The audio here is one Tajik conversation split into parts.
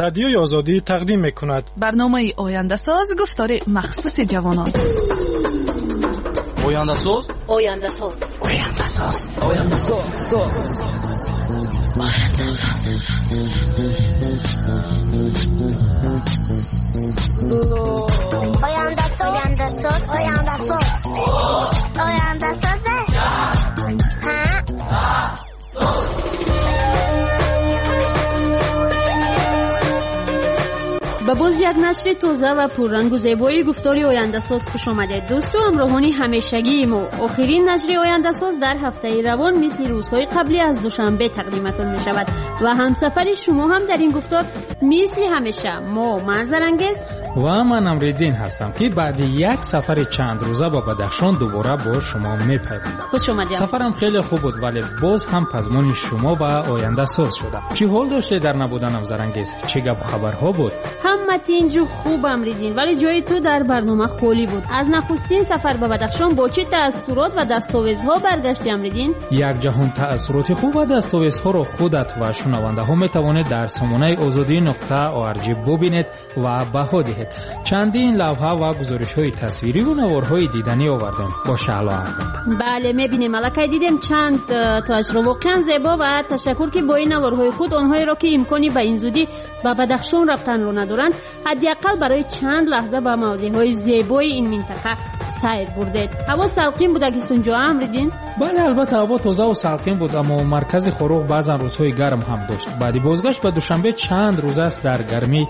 Радиои Озодӣ тақдим мекунад. Барномаи Ояндасоз, гуфтори махсуси ҷавонон. Ояндасоз, Ояндасоз, Ояндасоз, Ояндасоз, соз. Ояндасоз, Ояндасоз, Ояндасоз, Ояндасоз. Ба боз як нашри тоза ва пуррангу зебои гуфтори Ояндасоз хуш омадед, дӯсту ҳамроҳони ҳамешагии мо. Охирин нашри Ояндасоз дар ҳафтаи равон мисли рӯзҳои қаблӣ аз Душанбе тақдиматон мешавад ва ҳамсафари шумо ҳам дар ин гуфтор мисли ҳамеша мо, ман Зарангез ва ман Амриддин ҳастам, ки баъди як сафари чандрӯза ба Бадахшон дубора бо шумо мепайвандам. Хуш омадед. Сафарам хеле хуб буд, вале боз ҳам пазмони шумо ва Ояндасоз шудам. Чӣ ҳол доштед дар набуданам, Зарангез? Чӣ гапу хабарҳо буд? Ҳама тинҷу хуб, Амриддин, вале ҷои ту дар барнома холӣ буд. Аз нахустин сафар ба Бадахшон бо чӣ таассурот ва дастовезҳо баргашти, Амриддин? Як ҷаҳон таассуроти хуб ва дастовезҳоро худат ва шунавандаҳо метавонед дар сомонаи озодӣ нуқта org бубинед ва баҳо диҳед. Чандин лавҳа ва гузоришҳои тасвирӣ ва наворҳои диданӣ овардем бо Шаҳло албатта. Бале, мебинем, аллакай дидем чанд тоашро, воқеан зебо, ва ташаккур, ки бо ин наворҳои худ онҳоеро, ки имкони ба ин зудӣ ба Бадахшон рафтанро надоранд, ҳадди ақал барои чанд лаҳза ба мавзеъҳои зебои ин минтақа сайр бурдед. Ҳаво салқин буда ки сунҷоа, Амриддин? Бале, албатта, ҳаво тозаву салқин буд, аммо маркази Хоруғ баъзан рӯзҳои гарм ҳам дошт. Баъди бозгашт ба Душанбе чанд рӯз аст дар гармӣ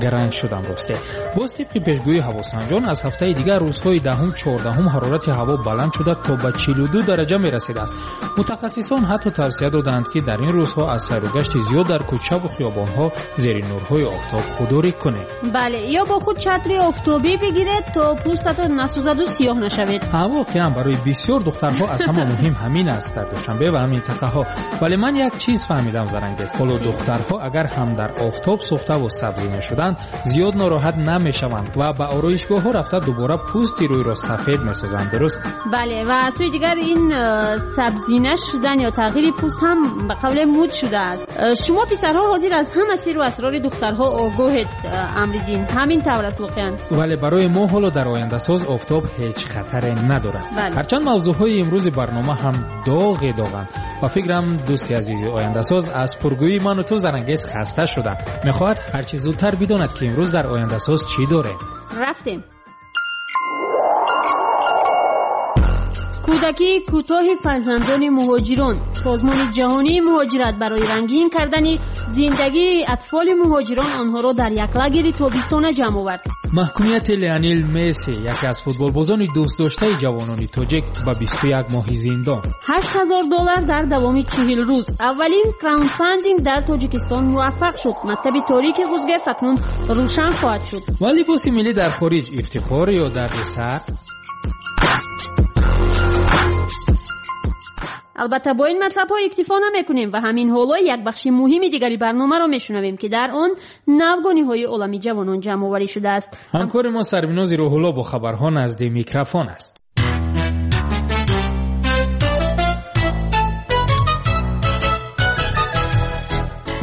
гаранг шудам. Росте, боз тибқи пешгӯии ҳавосанҷон аз ҳафтаи дигар рӯзҳои даҳум, чордаҳум ҳарорати ҳаво баланд шуда то ба 42 дараҷа мерасидааст. Мутахассисон ҳатто тавсия доданд, ки дар ин рӯзҳо аз сайругашти зиёд дар кӯчаву хиёбонҳо зери нурҳои офтоб худдорӣ кунед. Бале, ё бо худ чатри офтобӣ бигиред, то пӯстатон насӯзаду сиёҳ нашавед. Ҳа, воқеан барои бисёр духтарҳо аз ҳама муҳим ҳамин аст дар Душанбе ва минтақаҳо. Вале ман як чиз фаҳмидам, Зарангез. Ҳоло духтарҳо агар ҳам дар офтоб сӯхтаву сабзӣ нашуданд, зиёд нороҳат намешаванд ва ба ороишгоҳҳо рафта дубора пӯсти рӯйро сафед месозанд, дуруст? Бале, ва аз сӯи дигар ин сабзина шудан ё тағйири пӯст ҳам ба қавле муд шудааст. Шумо писарҳо ҳозир аз ҳама сиру асрори духтарҳо огоҳед, Амриддин, ҳамин тавр аст воқеан. Вале барои мо ҳоло дар Ояндасоз офтоб ҳеҷ хатаре надорад. Ҳарчанд мавзӯъҳои имрӯзи барнома ҳам доғе доғанд. Ба фикрам, дӯсти азизи Ояндасоз аз пургӯии ману ту, Зарангез, хаста шуда мехоҳад ҳарчи зудтар бидонад, ки имрӯз дар Ояндасоз чӣ дорем. Рафтем. Кӯдакии кӯтоҳи фарзандони муҳоҷирон. Созмони ҷаҳонии муҳоҷират барои рангин кардани зиндагии атфоли муҳоҷирон онҳоро дар як лагери тобистона ҷамъ овард. Маҳкумияти Леонел Месси, яке аз футболбозони дӯстдоштаи ҷавонони тоҷик, ба 21 моҳи зиндон. $8000 дар давоми 40 рӯз. Аввалин краундфандинг дар Тоҷикистон муваффақ шуд. Мактаби торики Ғузгерт акнун рӯшан хоҳад шуд. Ва либоси миллӣ дар хориҷ ифтихор ё дарди сар? Албатта, бо ин матлабҳо иктифо намекунем ва ҳамин ҳоло як бахши муҳими дигари барномаро мешунавем, ки дар он навгониҳои олами ҷавонон ҷамъоварӣ шудааст. Ҳамкори мо Сарвинози Рӯҳулло бо хабарҳо назди микрофон аст.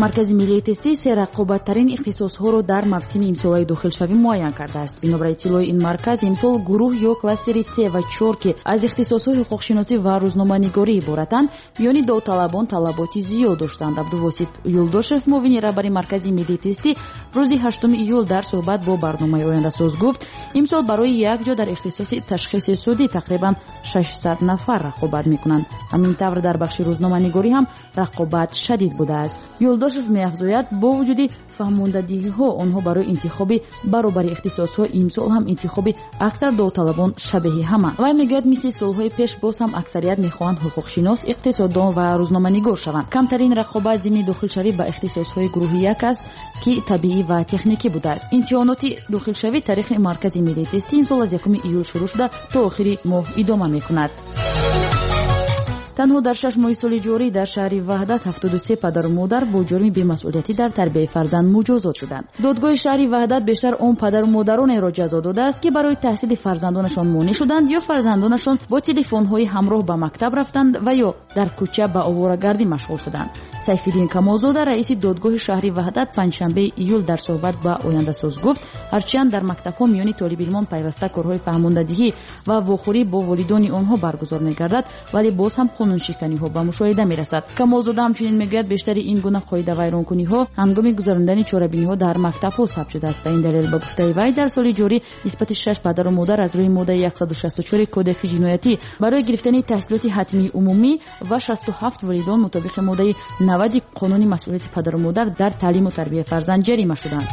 Маркази миллии тестӣ се рақобаттарин ихтисосҳоро дар мавсими имсолаи дохилшавӣ муайян кардааст. Бинобар иттилои ин марказ, имсол гурӯҳ ё кластери се ва чор, ки аз ихтисосҳои ҳуқуқшиносӣ ва рӯзноманигорӣ иборатанд, миёни довталабон талаботи зиёд доштанд. Абдувосит Юлдошев, муовини раҳбари Маркази миллии тестӣ, рӯзи 8 июл дар суҳбат бо барномаи Ояндасоз гуфт, имсол барои як ҷо дар ихтисоси ташхиси судӣ тақрибан 600 нафар рақобат мекунанд. Ҳамин тавр, дар бахши рӯзноманигорӣ ҳам рақобат шадид будааст. Юлдошев меафзояд, бо вуҷуди фаҳмондадиҳиҳо онҳо барои интихоби баробари ихтисосҳо, имсол ҳам интихоби аксар довталабон шабеҳи ҳама. Вай мегӯяд, мисли солҳои пеш боз ҳам аксарият мехоҳанд ҳуқуқшинос, иқтисоддон ва рӯзноманигор шаванд. Камтарин рақобат зимни дохилшавӣ ба ихтисосҳои гурӯҳи як аст, ки табиӣ ва техникӣ будааст. Имтиҳоноти дохилшавӣ таърихи Маркази миллии тестӣ имсол аз 1 июл шурӯъ шуда, то охири моҳ идома мекунад. Танҳо дар 6 моҳи соли ҷорӣ дар шаҳри Ваҳдат 73 падару модар бо ҷурми бемасъулиятӣ дар тарбияи фарзанд муҷозот шуданд. Додгоҳи шаҳри Ваҳдат бештар он падару модаронеро ҷазо додааст, ки барои таҳсили фарзандонашон монеъ шуданд ё фарзандонашон бо телефонҳои ҳамроҳ ба мактаб рафтанд ва ё дар кӯча ба оворагардӣ машғул шуданд. Сайфиддин Камолзода, раиси додгоҳи шаҳри Ваҳдат, панҷшанбеи июл дар суҳбат ба Ояндасоз гуфт, ҳарчанд дар мактабҳо миёни толибилмон пайваста корҳои фаҳмондадиҳӣ ва вохӯрӣ бо волидони онҳо баргузор мегардад, вале боз ҳам қонуншиканиҳо ба мушоҳида мерасад. Камолзода ҳамчунин мегӯяд, бештари ин гуна қоидавайронкуниҳо ҳангоми гузарондани чорабиниҳо дар мактабҳо сабт шудааст. Ба ин далел, ба гуфтаи вай, дар соли ҷорӣ нисбати 6 падару модар аз рӯи моддаи 164 кодекси ҷиноятӣ барои гирифтани таҳсилоти ҳатмии умумӣ ва 67 волидон мутобиқи моддаи 90 қонуни масъулияти падару модар дар таълиму тарбияи фарзанд ҷарима шуданд.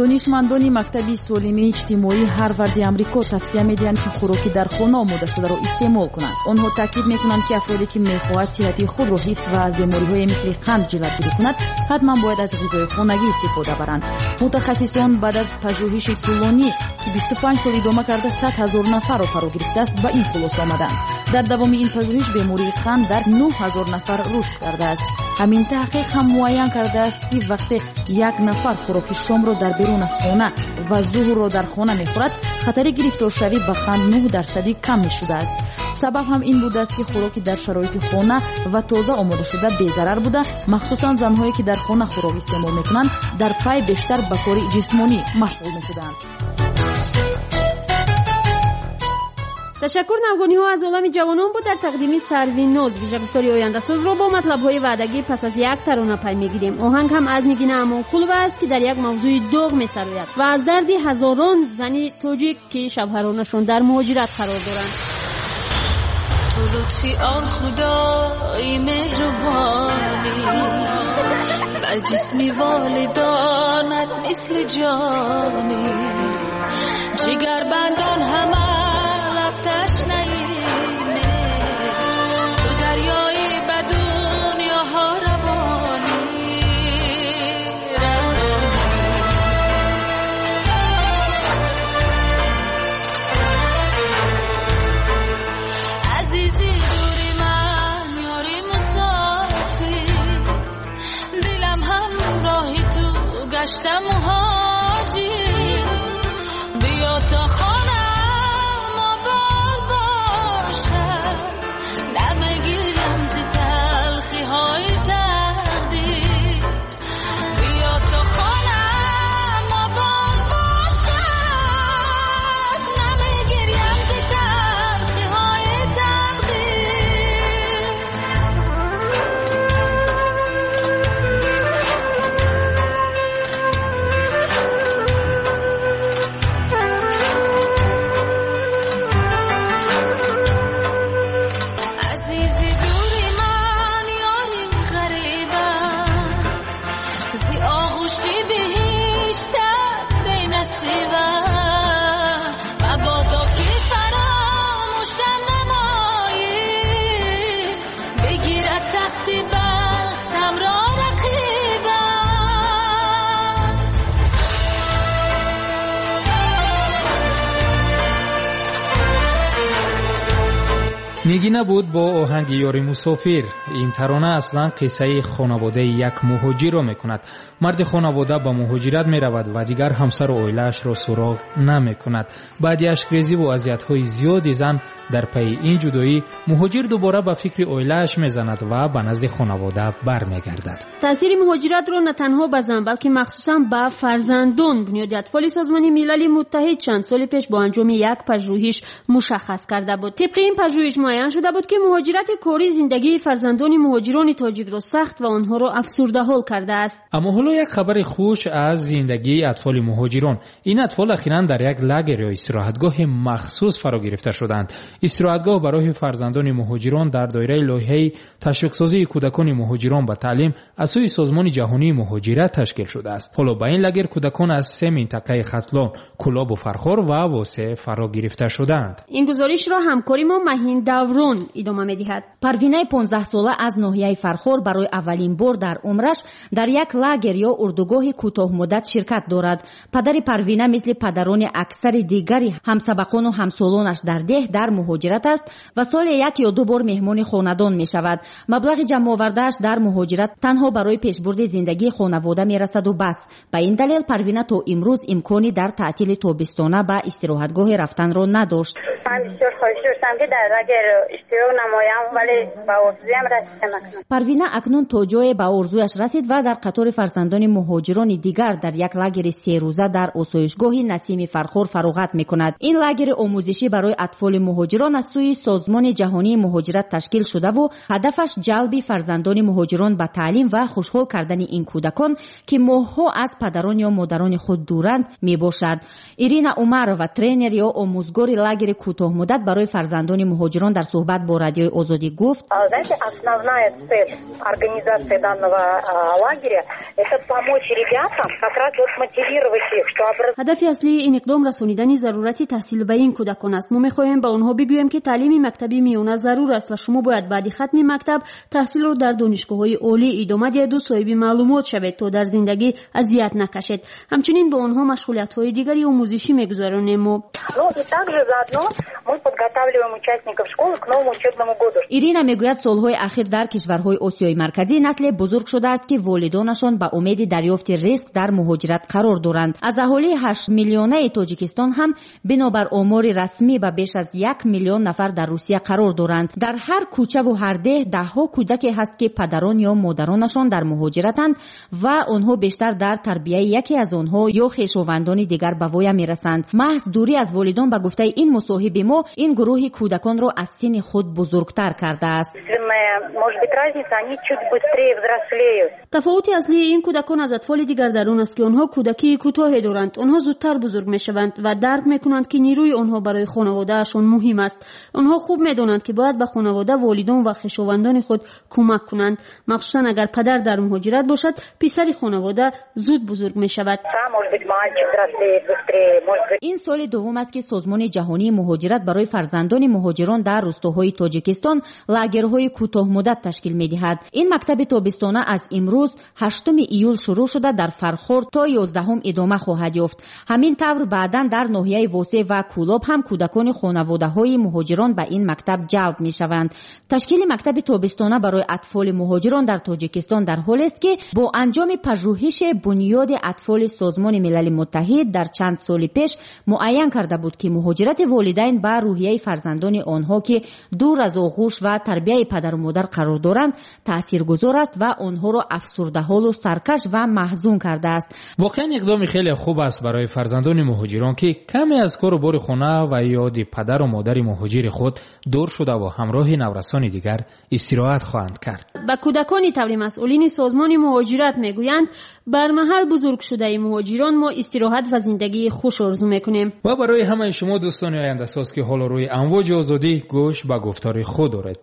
Донишмандони мактаби солимии иҷтимоии Ҳарварди Амрико тавсия медиҳанд, ки хӯроки дар хона омодашударо истеъмол кунанд. Онҳо таъкид мекунанд, ки афроде ки мехоҳад сиҳати худро ҳифз ва аз бемориҳои мисли қанд ҷилавгирӣ кунад, ҳатман бояд аз ғизои хонагӣ истифода баранд. Мутахассисон баъд аз пажӯҳиши тӯлонӣ, ки 25 сол идома карда 100 000 нафарро фаро гирифтааст, ба ин хулоса омаданд. Дар давоми ин пажӯҳиш бемории қанд дар 9 000 нафар рушд кардааст. Ҳамин таҳқиқ ҳам муайян кардааст, ки вақте як нафар хӯроки шомро дар берун аз хона ва зуҳрро дар хона мехӯрад, хатари гирифторшавӣ ба қанд 9% кам мешудааст. Сабаб ҳам ин будааст, ки хӯроки дар шароити хона ва тоза омодашуда безарар буда, махсусан занҳое ки дар хона хӯрок истеъмол мекунанд, дар пай бештар ба кори ҷисмонӣ машғул мешуданд. Ташаккур. Навгониҳо аз олами ҷавонон буд дар тақдими Сарвиноз. Вижагуфтори Ояндасозро бо матлабҳои ваъдагӣ пас аз як тарона пай мегирем. Оҳанг ҳам аз Нигина Амонқулова аст, ки дар як мавзӯи доғ месарояд ва аз дарди ҳазорон зани тоҷик, ки шавҳаронашон дар муҳоҷират қарор доранд. Ту лутфи он худои меҳрубонӣ, ба ҷисми волидонат мисли ҷонӣ, ҷигарбандон ҳама ташнаи ту, дарёи ба дунёҳо равонӣ, равонӣ. Азизи дури ман, ёри мусофир, дилам ҳамроҳи ту гашта муҳоҷир, биё то хона Нигина буд бо оҳанги ёри мусофир. Ин тарона аслан қиссаи хонаводаи як муҳоҷирро мекунад. Марди хонавода ба муҳоҷират меравад ва дигар ҳамсару оилаашро суроғ намекунад. Баъди ашкрезиву азиятҳои зиёди зан дар пайи ин ҷудоӣ, муҳоҷир дубора ба фикри оилааш мезанад ва ба назди хонавода бармегардад. Таъсири муҳоҷиратро на танҳо ба зан, балки махсусан ба фарзандон Бунёди атфоли Созмони Милали Муттаҳид чанд соли пеш бо анҷоми як пажӯҳиш мушаххас карда буд. Тибқи ин пажӯҳиш муайян шуда буд, ки муҳоҷирати корӣ зиндагии фарзандони муҳоҷирони тоҷикро сахт ва онҳоро афсурдаҳол кардааст. Аммо ҳоло як хабари хуш аз зиндагии атфоли муҳоҷирон. Ин атфол ахиран дар як лагер ё истироҳатгоҳи махсус фаро гирифта шуданд. Истироҳатгоҳ барои фарзандони муҳоҷирон дар доираи лоиҳаи ташвиқсозии кӯдакони муҳоҷирон ба таълим аз сӯи Созмони ҷаҳонии муҳоҷират ташкил шудааст. Ҳоло ба ин лагер кӯдакон аз се минтақаи Хатлон, Кӯлобу Фархор ва Восе фаро гирифта шудаанд. Ин гузоришро ҳамкори мо Маҳин Даврон идома медиҳад. Парвинаи 15-сола аз ноҳияи Фархор барои аввалин бор дар умраш дар як лагер ё урдугоҳи кӯтоҳмуддат ширкат дорад. Падари Парвина мисли падарони аксари дигари ҳамсабақону ҳамсолонаш дар деҳ дар муҳоҷират аст ва соли як ё ду бор меҳмони хонадон мешавад. Маблағи ҷамъовардааш дар муҳоҷират танҳо барои пешбурди зиндагии хонавода мерасаду бас. Ба ин далел Парвина то имрӯз имкони дар таътили тобистона ба истироҳатгоҳе рафтанро надошт. Ман бисёр хоҳиш доштам, ки дар лагер иштирок намоям, вале ба орзуям расидам. Парвина акнун то ҷое ба орзуяш расид ва дар қатори фарзандони муҳоҷирони дигар дар як лагери серӯза дар осоишгоҳи Насими Фархор фароғат мекунад. Ин лагери омӯзишӣ барои атфоли муҳоҷирон аз сӯи Созмони ҷаҳонии муҳоҷират ташкил шудаву ҳадафаш ҷалби фарзандони муҳоҷирон ба таълим ва хушҳол кардани ин кӯдакон, ки моҳҳо аз падарон ё модарони худ дуранд, мебошад. Ирина Умарова, тренер ё омӯзгори лагери кӯтоҳмуддат барои фарзандони муҳоҷирон, дар суҳбат бо Радиои Озодӣ гуфт: Знаете, основная цель организации данного лагеря — это помочь ребятам, как раз вот мотивировать их, что Ҳадафи аслии ин иқдом расонидани зарурати таҳсил ба ин кӯдакон аст. Мо мехоҳем ба онҳо бигӯем, ки таълими мактаби миёна зарур аст ва шумо бояд баъди хатми мактаб таҳсилро дар донишгоҳҳои олӣ идома диҳеду соҳиби маълумот шавед, то дар зиндагӣ азият накашед. Ҳамчунин бо онҳо машғулиятҳои дигари омӯзишӣ мегузаронем мо. Ну и также заодно мы подготавливаем участников школы к новому учебному году. Ирина мегӯяд, солҳои ахир дар кишварҳои Осиёи Марказӣ насле бузург шудааст, ки волидонашон ба умеди дарёфти ризқ дар муҳоҷират қарор доранд. Аз аҳолии 8 миллионаи Тоҷикистон ҳам бинобар омори расмӣ ба беш аз 1 миллион нафар дар Русия қарор доранд. Дар ҳар кӯчаву ҳар деҳ даҳҳо кӯдаке ҳаст, ки падарон ё модаронашон дар муҳоҷиратанд ва онҳо бештар дар тарбияи яке аз онҳо ё хешовандони дигар ба воя мерасанд. Маҳз дурӣ аз волидон, ба гуфтаи ин мусоҳиби мо, ин гурӯҳи кӯдаконро аз синни худ бузургтар кардааст. Может быть, разница, они чуть быстрее взрослеют. Тафовути аслии ин кӯдакон аз атфоли дигар дар он аст, ки онҳо кӯдакии кӯтоҳе доранд. Онҳо зудтар бузург мешаванд ва дарк мекунанд, ки нерӯи онҳо барои хонаводаашон муҳим аст. Онҳо хуб медонанд, ки бояд ба хонавода, волидон ва хешовандони худ кӯмак кунанд. Махсусан агар падар дар муҳоҷират бошад, писари хонавода зуд бузург мешавад. Ин соли дуввум аст, ки Созмони ҷаҳонии муҳоҷират барои фарзандони муҳоҷирон дар рустоҳои Тоҷикистон лагерҳои кӯтоҳмуддат ташкил медиҳад. Ин мактаби тобистона аз имрӯз, 8 июл, шурӯъ шуда, дар Фархор то 11-ум идома хоҳад ёфт. Ҳамин тавр баъдан дар ноҳияи Восе ва Кӯлоб ҳам кӯдакони хонаводаҳои муҳоҷирон ба ин мактаб ҷалб мешаванд. Ташкили мактаби тобистона барои атфоли муҳоҷирон дар Тоҷикистон дар ҳолест, ки бо анҷоми пажӯҳише Бунёди атфоли Созмони Милали Муттаҳид дар чанд соли пеш муайян карда буд, ки муҳоҷирати волидайн ба рӯҳияи фарзандони онҳо, ки дур аз оғӯш ва тарбияи падару модар қарор доранд, таъсиргузор аст ва онҳоро афсурдаҳолу саркаш ва маҳзун кардааст. Воқеан, иқдоми хеле хуб аст барои фарзандони муҳоҷирон, ки каме аз кору бори хона ва ёди падару модари муҳоҷири худ дур шудаву ҳамроҳи наврасони дигар истироҳат хоҳанд кард. Ба кӯдакони, таври масъулини Созмони муҳоҷират мегӯянд, бар маҳал бузургшудаи муҳоҷирон мо истироҳат ва зиндагии хуш орзу мекунем. Ва барои ҳамаи шумо, дӯстони ояндасоз, ки ҳоло рӯи амвоҷи Озодӣ гӯш ба гуфтори худ доред,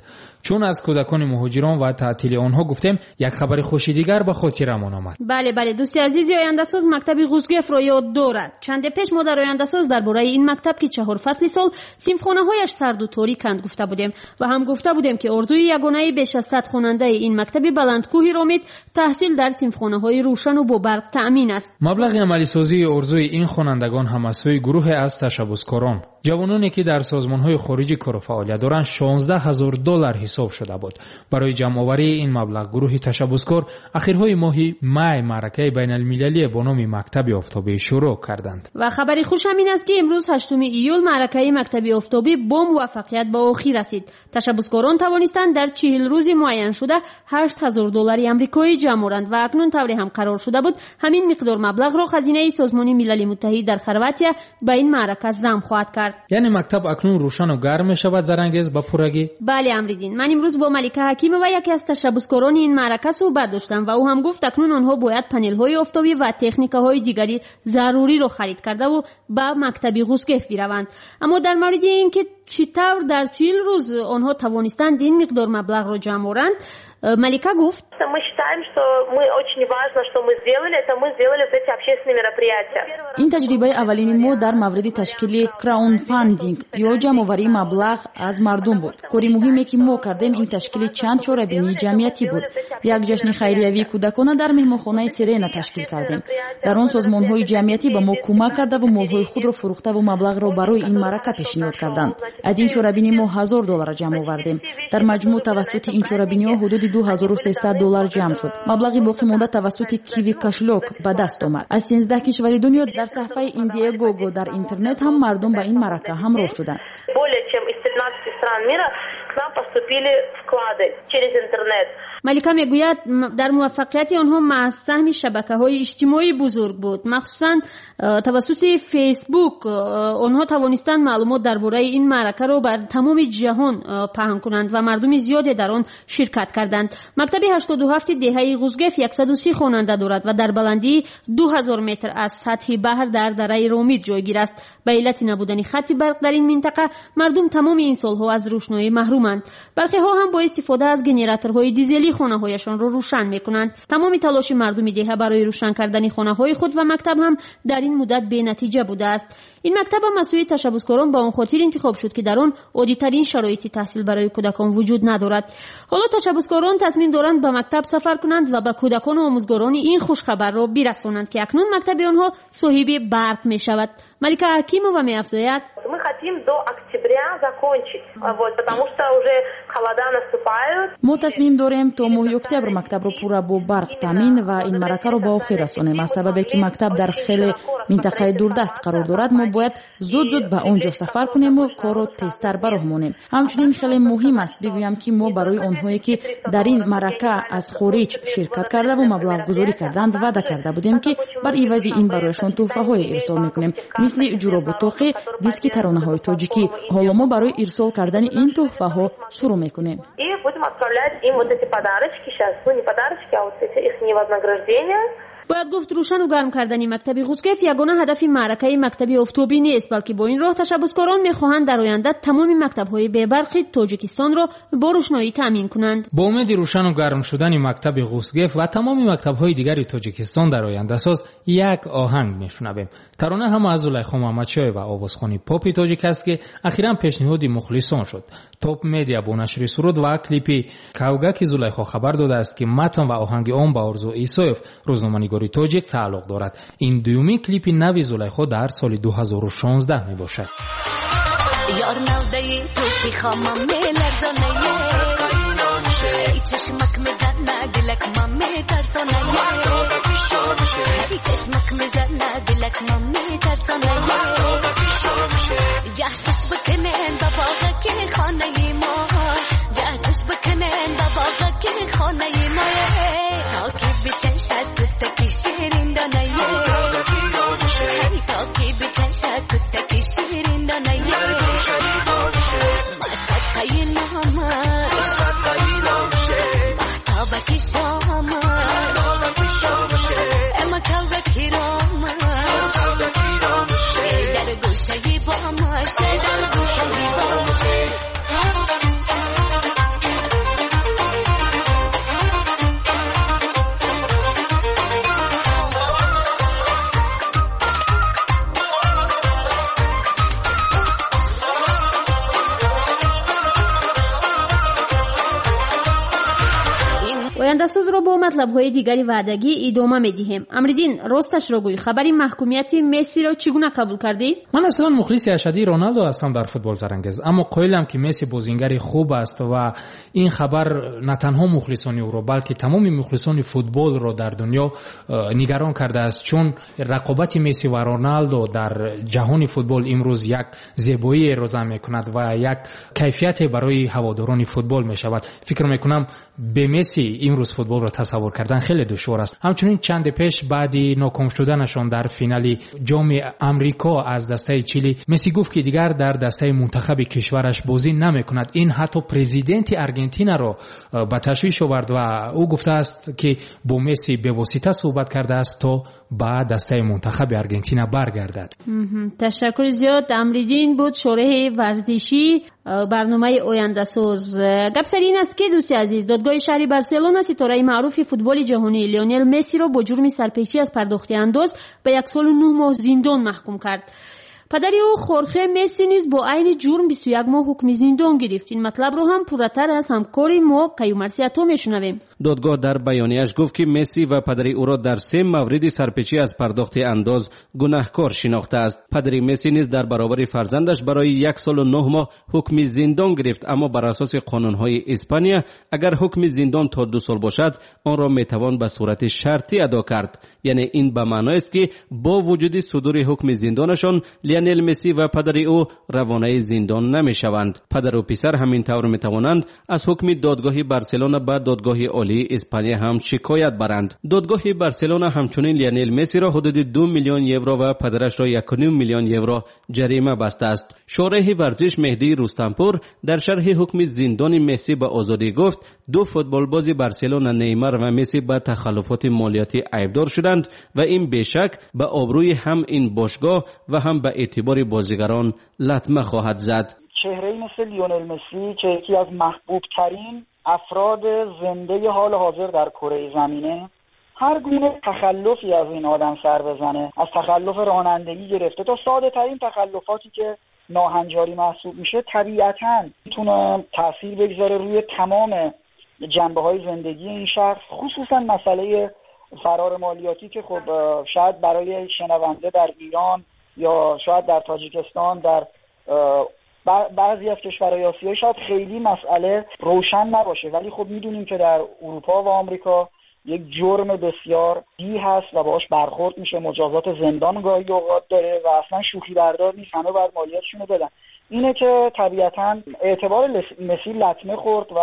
чун аз кӯдакони муҳоҷирон ва таътили онҳо гуфтем, як хабари хуши дигар ба хотирамон омад. Бале, дӯсти азизи ояндасоз мактаби Ғузгефро ёд дорад. Чанде пеш мо дар ояндасоз дар бораи ин мактаб, ки чаҳор фасли сол синфхонаҳояш сарду ториканд, гуфта будем ва ҳам гуфта будем, ки орзуи ягонаи беш аз 100 хонандаи ин мактаби баландкӯҳи Ромит таҳсил дар синфхонаҳои рӯшану бо барқ таъмин аст. Маблағи амалисозии орзуи ин хонандагон ҳам аз сӯи гурӯҳе аз ташаббускорон, ҷавононе ки дар созмонҳои хориҷӣ кору фаъолият доранд, 16 ҳазор доллар ҳисоб шуда буд. Барои ҷамъоварии ин маблағ гурӯҳи ташаббускор ахирҳои моҳи май маъракаи байналмилалие бо номи Мактаби офтобӣ шурӯъ карданд. Ва хабари хуш ҳам ин аст, ки имрӯз, 8 июл, маъракаи Мактаби офтобӣ бо муваффақият ба охир расид. Ташаббускорон тавонистанд дар 40 рӯзи муайяншуда 8000 доллари амрикоӣ ҷамъ оранд ва акнун, тавре ҳам қарор шуда буд, ҳамин миқдор маблағро хазинаи Созмони Милали Муттаҳид дар Хорватия ба ин маърака зам хоҳад кард. кард. Яъне мактаб акнун рӯшану гарм мешавад, Зарангез, ба пуррагӣ? Бале, Амриддин. Ман имрӯз бо Малика Ҳакимова, яке аз ташаббускорони ин маърака, суҳбат доштам ва ӯ ҳам гуфт, акнун онҳо бояд панелҳои офтобӣ ва техникаҳои дигари заруриро харид кардаву ба мактаби Ғузгеф бираванд. Аммо дар мавриди ин ки чӣ тавр дар 40 рӯз онҳо тавонистанд ин миқдор маблағро ҷамъ оранд, Малика гуфт: Мы считаем, что мы очень важно, что мы сделали, это мы сделали вот эти общественные мероприятия. Ин таҷрибаи аввалини мо дар мавриди ташкили краундфандинг ё ҷамъоварии маблағ аз мардум буд. Кори муҳиме, ки мо кардем, ин ташкили чанд чорабинии ҷамъиятӣ буд. Як ҷашни хайриявии кӯдакона дар меҳмонхонаи Сирена ташкил кардем. Дар он созмонҳои ҷамъиятӣ ба мо кӯмак кардаву молҳои худро фурӯхтаву маблағро барои ин маърака пешниҳод карданд. Аз ин чорабинӣ мо $1000 ҷамъ овардем. Дар маҷмӯъ тавассути ин чорабиниҳо ҳудуди $2300 ҷамъ шуд. Маблағи боқимонда тавассути Киви кошелёк ба даст омад. Аз 13 кишвари дунё дар саҳифаи Индиегого дар интернет ҳам мардум ба ин маърака ҳамроҳ шуданд. Более чем из 13 стран мира к нам поступили вклады через интернет. Малика мегӯяд, дар муваффақияти онҳо маҳз саҳми шабакаҳои иҷтимоӣ бузург буд. Махсусан тавассути Фейсбук онҳо тавонистанд маълумот дар бораи ин маъракаро бар тамоми ҷаҳон паҳн кунанд ва мардуми зиёде дар он ширкат карданд. Мактаби 87 деҳаи Ғузгеф 130 хонанда дорад ва дар баландии 2000 метр аз сатҳи баҳр дар дараи Ромид ҷойгир аст. Ба иллати набудани хатти барқ дар ин минтақа мардум тамоми ин солҳо аз рӯшноӣ маҳруманд. Бархеҳо ҳам бо истифода аз генераторҳои дизелӣ хонаҳояшонро рӯшан мекунанд. Тамоми талоши мардуми деҳа барои рӯшан кардани хонаҳои худ ва мактаб ҳам дар ин муддат бенатиҷа будааст. Ин мактаб ҳам аз сӯи ташаббускорон ба он хотир интихоб шуд, ки дар он оддитарин шароити таҳсил барои кӯдакон вуҷуд надорад. Ҳоло ташаббускорон тасмим доранд ба мактаб сафар кунанд ва ба кӯдакону омӯзгорони ин хушхабарро бирасонанд, ки акнун мактаби онҳо соҳиби барқ мешавад. Малика Ҳакимова меафзояд: Мы хотим до октября закончить, вот, потому что уже холода наступают. Мо тасмим дорем то моҳи октябр мактабро пурра бо барқ таъмин ва ин маъракаро ба охир расонем. Аз сабабе ки мактаб дар хеле минтақаи дурдаст қарор дорад, мо бояд зуд-зуд ба он ҷо сафар кунему корро тезтар ба роҳ монем. Ҳамчунин хеле муҳим аст бигӯям, ки мо барои онҳое, ки дар ин маърака аз хориҷ ширкат кардаву маблағгузорӣ карданд, ваъда карда будем, ки бар ивази ин барояшон тӯҳфаҳое ирсол мекунем, мисли ҷуробу тоқӣ, диски таронаҳои тоҷикӣ. Ҳоло мо барои ирсол кардани ин тӯҳфаҳо шурӯъ мекунем. И будем отправлять им вот эти подарочки сейчас, ну не подарочки, а вот эти их вознаграждения. Бояд гуфт, рӯшану гарм кардани мактаби Ғузгеф ягона ҳадафи маъракаи мактаби офтобӣ нест, балки бо ин роҳ ташаббускорон мехоҳанд дар оянда тамоми мактабҳои бебарқи Тоҷикистонро бо рӯшноӣ таъмин кунанд. Бо умеди рӯшану гарм шудани мактаби Ғузгеф ва тамоми мактабҳои дигари Тоҷикистон дар ояндасоз як оҳанг мешунавем. Тарона ҳам аз Зулайхо Муҳаммадшоева, овозхони попи тоҷик аст, ки ахиран пешниҳоди мухлисон шуд. Топ Медиа бо нашри суруд ва клипи Кавгаки Зулайхо хабар додааст, ки матн ва оҳанги он ба Орзу Исоев, рӯзноманигори тоҷик, тааллуқ дорад. Ин дуюмин клипи нави Зулайхо дар соли 2016 мебошад. Ёр навдаи ту ки хомам меларзонае, эй чашмак мезана дилак ма метарсонае, эй чашмак мезана дилак ма метарсонае. Ҷаҳдаш бикунен ба боғаки хонаи мо, ҷаҳдаш бикунен ба боғаки хонаи мо, то ки бичашад кӯтаки ширин донае, то ки бичашад кӯтаки ширин донае. Масадқаи номаш маҳтобаки шомаш, ама кавгаки ромаш, дар гӯшаи бомаш, дар гӯшаи бомаш. Ояндасозро бо матлабҳои дигари ваъдагӣ идома медиҳем. Амриддин, росташро гӯй, хабари маҳкумияти Мессиро чӣ гуна қабул кардӣ? Ман аслан мухлиси ашадии Роналдо ҳастам дар футбол, Зарангез, аммо қоилам, ки Месси бозингари хуб аст ва ин хабар на танҳо мухлисони ӯро, балки тамоми мухлисони футболро дар дунё нигарон кардааст, чун рақобати Месси ва Роналдо дар ҷаҳони футбол имрӯз як зебоиеро зам мекунад ва як кайфияте барои ҳаводорони футбол мешавад. Фикр мекунам, бе Месси имрӯз футболро тасаввур кардан хеле душвор аст. Ҳамчунин чанде пеш баъди ноком шуданашон дар финали ҷоми Амрико аз дастаи Чили, Месси гуфт, ки дигар дар дастаи мунтахаби кишвараш бозӣ намекунад. Ин ҳатто президенти Аргентинаро ба ташвиш овард ва ӯ гуфтааст, ки бо Месси бевосита суҳбат кардааст, то ба дастаи мунтахаби Аргентина баргардад. Ташаккури зиёд. Амриддин буд, шореҳи варзишӣ барномаи Ояндасоз. Гап сари ин аст, ки, дӯсти азиз, додгоҳи шаҳри Барселона ситораи маъруфи футболи ҷаҳонӣ Леонел Мессиро бо ҷурми сарпечӣ аз пардохти андоз ба 1 соли 9 моҳ зиндон маҳкум кард. Падари ӯ, Хорхе Месси, низ бо айни ҷурм 21 моҳ ҳукми зиндон гирифт. Ин матлабро ҳам пурратар аз ҳамкори мо Каюмарси Ато мешунавем. Додгоҳ дар баёнияш гуфт, ки Месси ва падари ӯро дар се мавриди сарпечӣ аз пардохти андоз гунаҳкор шинохтааст. Падари Месси низ дар баробари фарзандаш барои 1 солу 9 моҳ ҳукми зиндон гирифт, аммо бар асоси қонунҳои Испания, агар ҳукми зиндон то 2 сол бошад, онро метавон ба сурати шартӣ адо кард. Яъне ин ба маъноест, ки бо вуҷуди судури ҳукми зиндонашон Лионел Месси ва падари ӯ равонаи зиндон намешаванд. Падару писар ҳамин тавр метавонанд аз ҳукми додгоҳи Барселона ба Додгоҳи Олии Испания ҳам шикоят баранд. Додгоҳи Барселона ҳамчунин Лионел Мессиро ҳудуди 2 миллион евро ва падарашро 1,5 миллион евро ҷарима бастааст. Шореҳи варзиш Меҳдии Рустампур дар шарҳи ҳукми зиндони Месси ба Озодӣ гуфт, ду футболбози Барселона, Неймар ва Месси, ба тахаллуфоти молиётӣ айбдор шуданд ва ин бешак ба обрӯи ҳам ин бошгоҳ ва ҳам ба эътибори бозигарон латма хоҳад зад. چهره مثل لیونل مسی که یکی از محبوب ترین افراد زنده حال حاضر در کره زمینه، هر گونه تخلفی از این آدم سر بزنه، از تخلف رانندگی گرفته تا ساده ترین تخلفاتی که ناهنجاری محسوب میشه، طبیعتا میتونه تاثیر بگذاره روی تمام جنبه های زندگی این شخص، خصوصا مسئله فرار مالیاتی که خب شاید برای شنونده در ایران یا شاید در تاجیکستان، در بعضی از کشورهای آسیایی شاید خیلی مسئله روشن نباشه، ولی خب میدونیم که در اروپا و آمریکا یک جرم بسیار جدی هست و باهاش برخورد میشه، مجازات زندان گاهی اوقات داره و اصلا شوخی بردار نیست. همه باید مالیاتشون رو بدن. اینه که طبیعتا اعتبار مسی لطمه خورد و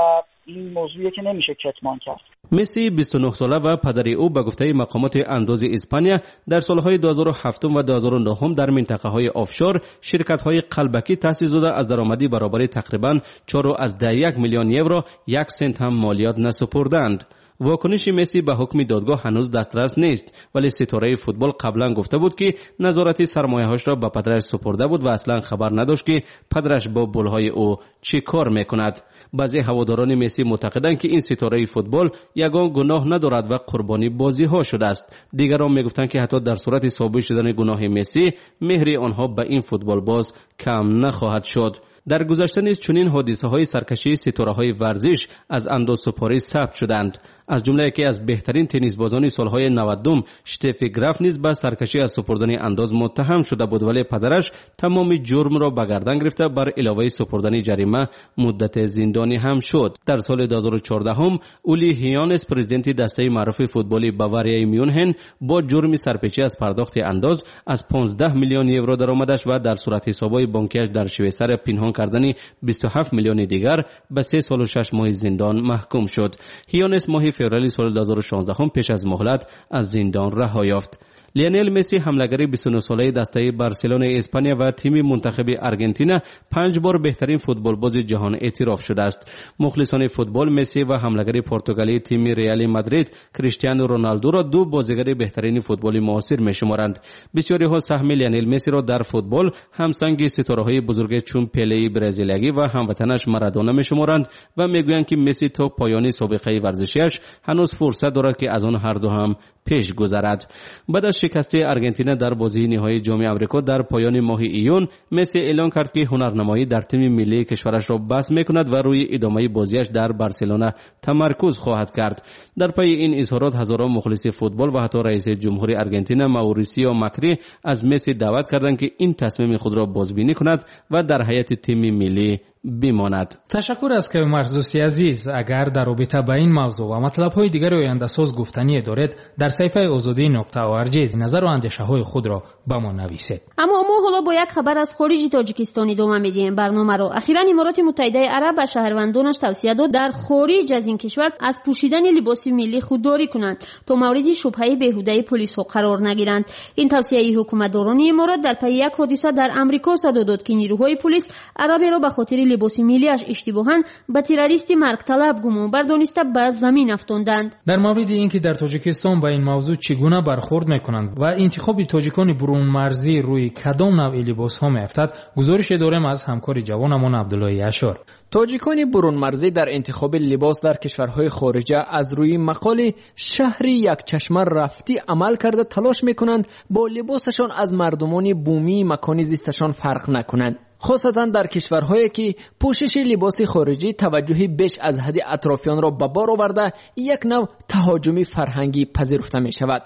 این موضوعیه که نمیشه کتمان کرد. месси 29 сола ва падари ӯ ба гуфтаи мақомоти андози Испания дар солҳои 2007 ва 2009 дар минтақаҳои офшор ширкатҳои қалбакӣ таъсис дода, аз даромадӣ баробари тақрибан 4,1 миллион евро як сент ҳам молиёт насупурданд. Вокуниши Месси ба ҳукми додгоҳ ҳанӯз дастрас нест, вале ситораи футбол қаблан гуфта буд, ки назорати сармояҳошро ба падараш супурда буд ва аслан хабар надошт, ки падараш бо пулҳои ӯ чӣ кор мекунад. Баъзе ҳаводорони Месси мӯътақиданд, ки ин ситораи футбол ягон гуноҳ надорад ва қурбони бозиҳо шудааст. Дигарон мегуфтанд, ки ҳатто дар сурати собит шудани гуноҳи Месси, меҳри онҳо ба ин футболбоз кам нахоҳад шуд. Дар гузашта низ чунин ҳодисаҳои саркашии ситораҳои варзиш аз андозсупорӣ сабт шуданд. Аз ҷумла яке аз беҳтарин теннисбозони солҳои 90-ум, Штефи Граф, низ ба саркашӣ аз супурдани андоз муттаҳам шуда буд, вале падараш тамоми ҷурмро ба гардан гирифта, бар иловаи супурдани ҷарима муддате зиндонӣ ҳам шуд. Дар соли 2014 Ули Ҳёнес, президенти дастаи маъруфи футболи Баварияи Мюнхен, бо ҷурми сарпечӣ аз пардохти андоз аз 15 миллион евро даромадаш ва дар суратҳисобҳои бонкиаш дар Швейсария пинҳон кардани 27 миллиони дигар ба 3 солу 6 моҳи зиндон маҳкум шуд. Ҳёнес моҳи феврали соли 2016 пеш аз муҳлат аз зиндон раҳо ёфт. Лионел Месси, ҳамлагари 29-солаи дастаи Барселонаи Испания ва тими мунтахаби Аргентина, панҷ бор беҳтарин футболбози ҷаҳон эътироф шудааст. Мухлисони футбол Месси ва ҳамлагари португалии тими Реали Мадрид, Криштиану Роналдуро ду бозигари беҳтарини футболи муосир мешуморанд. Бисёриҳо саҳми Лионел Мессиро дар футбол ҳамсанги ситораҳои бузурге чун Пелеи бразилиягӣ ва ҳамватанаш Марадона мешуморанд ва мегӯянд, ки Месси то поёни собиқаи варзишиаш ҳанӯз фурсат дорад, ки аз он ҳарду ҳам пеш гузарад. Баъд аз шикасти Аргентина дар бозии ниҳоии Ҷоми Амрико дар поёни моҳи июн, Месси эълон кард, ки ҳунарнамоӣ дар тими миллии кишварашро бас мекунад ва рӯи идомаи бозиаш дар Барселона тамаркуз хоҳад кард. Дар пайи ин изҳорот ҳазорон мухлиси футбол ва ҳатто раиси ҷумҳури Аргентина Маурисио Макри аз Месси даъват карданд, ки ин тасмими худро бозбинӣ кунад ва дар ҳайати тими миллӣ бимонад. Ташаккур аз Каюмарс, дӯсти азиз. Агар дар робита ба ин мавзӯъ ва матлабҳои дигари ояндасоз гуфтание доред, дар саҳифаи озодӣ.org назару андешаҳои худро ба мо нависед. Аммо мо ҳоло бо як хабар аз хориҷи Тоҷикистон идома медиҳем барномаро. Ахиран Имороти Муттаҳидаи Араб ба шаҳрвандонаш тавсия дод дар хориҷ аз ин кишвар аз пӯшидани либоси миллӣ худдорӣ кунанд, то мавриди шубҳаи беҳудаи полисҳо қарор нагиранд. Ин тавсияи ҳукуматдорони Иморот дар пайи як ҳодиса дар Амрико садо дод, ки нирӯҳои полис араберо ба хотири либоси миллиаш иштибоҳан ба террористи маргталаб гумонбар дониста ба замин афтонданд. Дар мавриди ин ки дар Тоҷикистон ба ин мавзӯъ чӣ гуна бархӯрд мекунанд ва интихоби тоҷикони бурунмарзӣ рӯи кадом навъи либосҳо меафтад, гузорише дорем аз ҳамкори ҷавонамон Абдуллои Ашор. Тоҷикони бурунмарзӣ дар интихоби либос дар кишварҳои хориҷа аз рӯи мақоли шаҳри якчашма рафтӣ амал карда талош мекунанд бо либосашон аз мардумони бумии макони зисташон фарқ накунанд. Хосатан дар кишварҳое ки пӯшиши либоси хориҷӣ таваҷҷӯҳи беш аз ҳадди атрофиёнро ба бор оварда як нав таҳоҷуми фарҳангӣ пазируфта мешавад.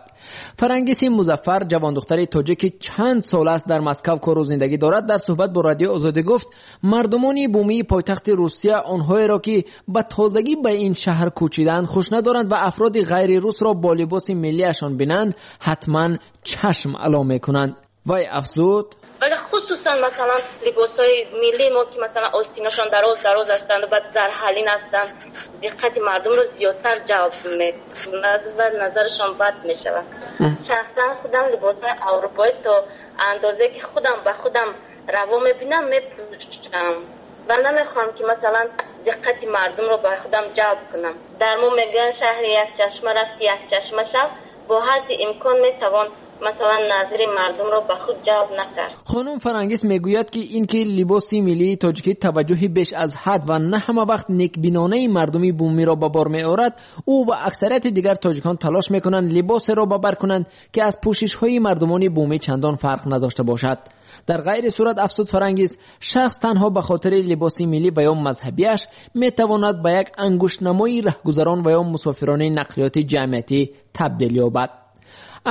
Фарангиси Музаффар, ҷавондухтари тоҷик ки чанд сол аст дар Москав кору зиндагӣ дорад, дар суҳбат бо Радиои Озодӣ гуфт мардумони бумии пойтахти Русия онҳоеро ки ба тозагӣ ба ин шаҳр кӯчидаанд хуш надоранд ва афроди ғайрирусро бо либоси миллиашон бинанд ҳатман чашм ало мекунанд. Вай афзуд: вале хусусан масалан либосҳои миллии мо ки масалан остинашон дароз дароз ҳастанд ва зарҳалин ҳастанд, диққати мардумро зиёдтар ҷалб мекунад ва назарашон бад мешавад. Шахсан худам либосҳои аврупоӣ то андозе ки худам ба худам раво мебинам мепӯшам ва намехоҳам ки масалан диққати мардумро ба худам ҷалб кунам. Дар мо мегӯянд шаҳри якчашма рафти якчашма шав, бо ҳадди имкон метавон масалан назари мардумро ба худ ҷалб накард. Хонум Фарангис мегӯяд ки инки либоси миллии тоҷикӣ таваҷҷӯҳи беш аз ҳад ва на ҳама вақт некбинонаи мардуми бумиро ба бор меорад, ӯ ва аксарияти дигар тоҷикон талош мекунанд либосеро ба бар кунанд ки аз пӯшишҳои мардумони бумӣ чандон фарқ надошта бошад. Дар ғайри сурат, афзуд Фарангис, шахс танҳо ба хотири либоси миллӣ ва ё мазҳабиаш метавонад ба як ангуштнамои раҳгузарон ва ё мусофирони нақлиёти ҷамъиятӣ табдил ёбад.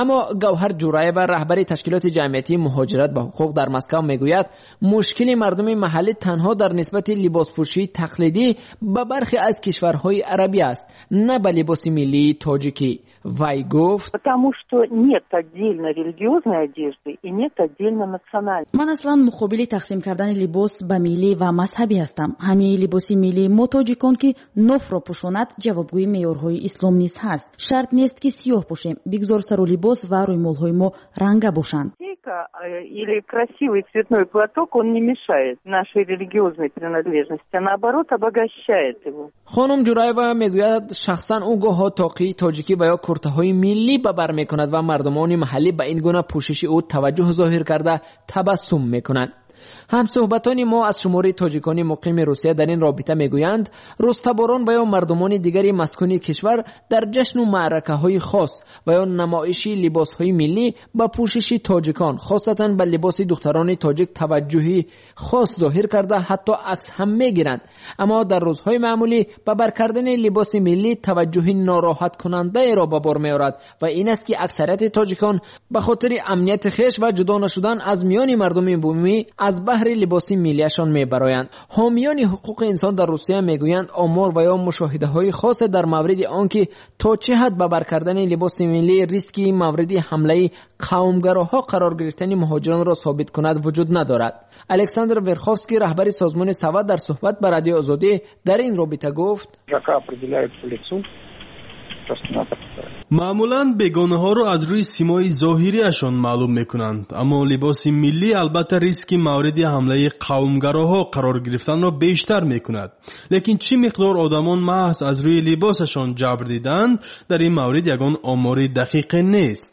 Аммо Гавҳар Ҷураева, раҳбари ташкилоти ҷамъиятии муҳоҷират ба ҳуқуқ дар Москав, мегӯяд мушкили мардуми маҳаллӣ танҳо дар нисбати либоспӯшии тақлидӣ ба бархе аз кишварҳои арабӣ аст, на ба либоси миллии тоҷикӣ. Вай гуфт: Потому что нет отдельно религиозной одежды и нет отдельно национальной. Ман аслан муқобили тақсим кардани либос ба миллӣ ва мазҳабӣ ҳастам. Ҳамаи либоси миллии мо тоҷикон ки нофро пӯшонад, ҷавобгӯи меъёрҳои ислом низ ҳаст. Шарт нест ки сиёҳ пӯшем, бигзор сару либос ва рӯймолҳои мо ранга бошанд. Или красивый цветной платок, он не мешает нашей религиозной принадлежности, а наоборот обогащает его. Хонум Ҷураева мегӯяд шахсан ӯ гоҳо тоқии тоҷикӣ ва ё куртаҳои миллӣ ба бар мекунад ва мардумони маҳаллӣ ба ин гуна пӯшиши ӯ таваҷҷӯҳ зоҳир карда табассум мекунанд. Ҳамсӯҳбатони мо аз шумори тоҷикони муқими Русия дар ин робита мегӯянд рустаборон ва ё мардумони дигари маскуни кишвар дар ҷашну маъракаҳои хос ва ё намоиши либосҳои миллӣ ба пӯшиши тоҷикон, хосатан ба либоси духтарони тоҷик таваҷҷӯҳи хос зоҳир карда ҳатто акс ҳам мегиранд. Аммо дар рӯзҳои маъмулӣ ба бар кардани либоси миллӣ таваҷҷӯҳи нороҳаткунандаеро ба бор меорад ва ин аст ки аксарияти тоҷикон ба хотири амнияти хеш ва ҷудо нашудан аз миёни мардуми бумӣ аз баҳри либоси миллиашон мебароянд. Ҳомиёни ҳуқуқи инсон дар Русия мегӯянд омор ва ё мушоҳидаҳои хосе дар мавриди он ки то чӣ ҳад ба бар кардани либоси миллӣ риски мавриди ҳамлаи қавмгароҳо қарор гирифтани муҳоҷиронро собит кунад вуҷуд надорад. Александр Верховский, раҳбари созмони Сава, дар суҳбат ба Радиои Озодӣ дар ин робита гуфт: Маъмулан бегонаҳоро аз рӯи симои зоҳириашон маълум мекунанд, аммо либоси миллӣ албатта риски мавриди ҳамлаи қавмгароҳо қарор гирифтанро бештар мекунад. Лекин чӣ миқдор одамон маҳз аз рӯи либосашон ҷабр диданд, дар ин маврид ягон омори дақиқе нест.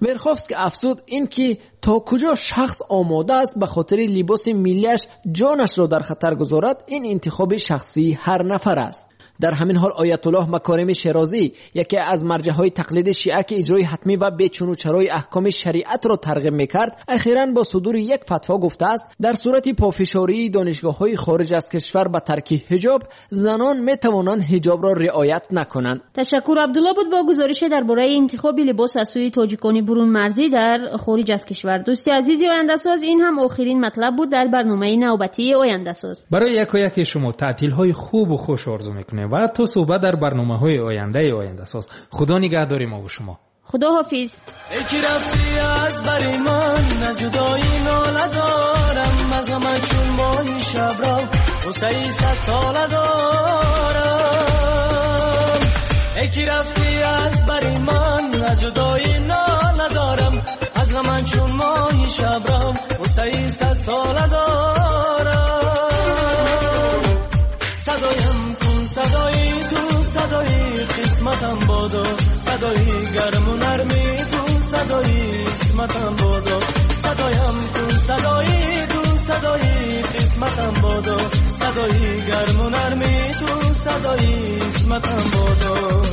Верховский афзуд ин ки то куҷо шахс омода аст ба хотири либоси миллиаш ҷонашро дар хатар гузорад, ин интихоби шахсии ҳар нафар аст. Дар ҳамин ҳол Оятуллоҳ Макорими Шерозӣ, яке аз марҷаҳои тақлиди шиа ки иҷрои ҳатмӣ ва бечунучарои аҳкоми шариатро тарғиб мекард, ахиран бо судури як фатво гуфтааст дар сурати пофишории донишгоҳҳои хориҷ аз кишвар ба тарки ҳиҷоб, занон метавонанд ҳиҷобро риоят накунанд. Ташаккур. Абдулло буд бо гузорише дар бораи интихоби либос аз сӯи тоҷикони бурунмарзӣ дар хориҷ аз кишвар. Дӯсти азизи Ояндасоз, ин ҳам охирин матлаб буд дар барномаи навбатии Ояндасоз. Барои якояки шумо таътилҳои хубу хуш орзу мекунем ва то суҳбат дар барномаҳои ояндаи Ояндасоз. Худо нигаҳдори мо бо шумо. Худо ҳофиз. Эй ки рафтӣ аз бари ман, аз ҷудоӣ нола дорам, аз ғамат чун моҳи шабро ғуссаи садсола дорам. Эй ки рафтӣ аз бари ман, аз ҷудоӣ нола дорам, аз ғамат чун моҳи шабро ғуссаи садсола дорам. Садоям кун садои ту, садои қисматам бодо, садои гарму нарми ту, садои исматам бодо. Садоям кун садои ту, садои қисматам бодо, садои гарму нарми ту, садои исматам бодо.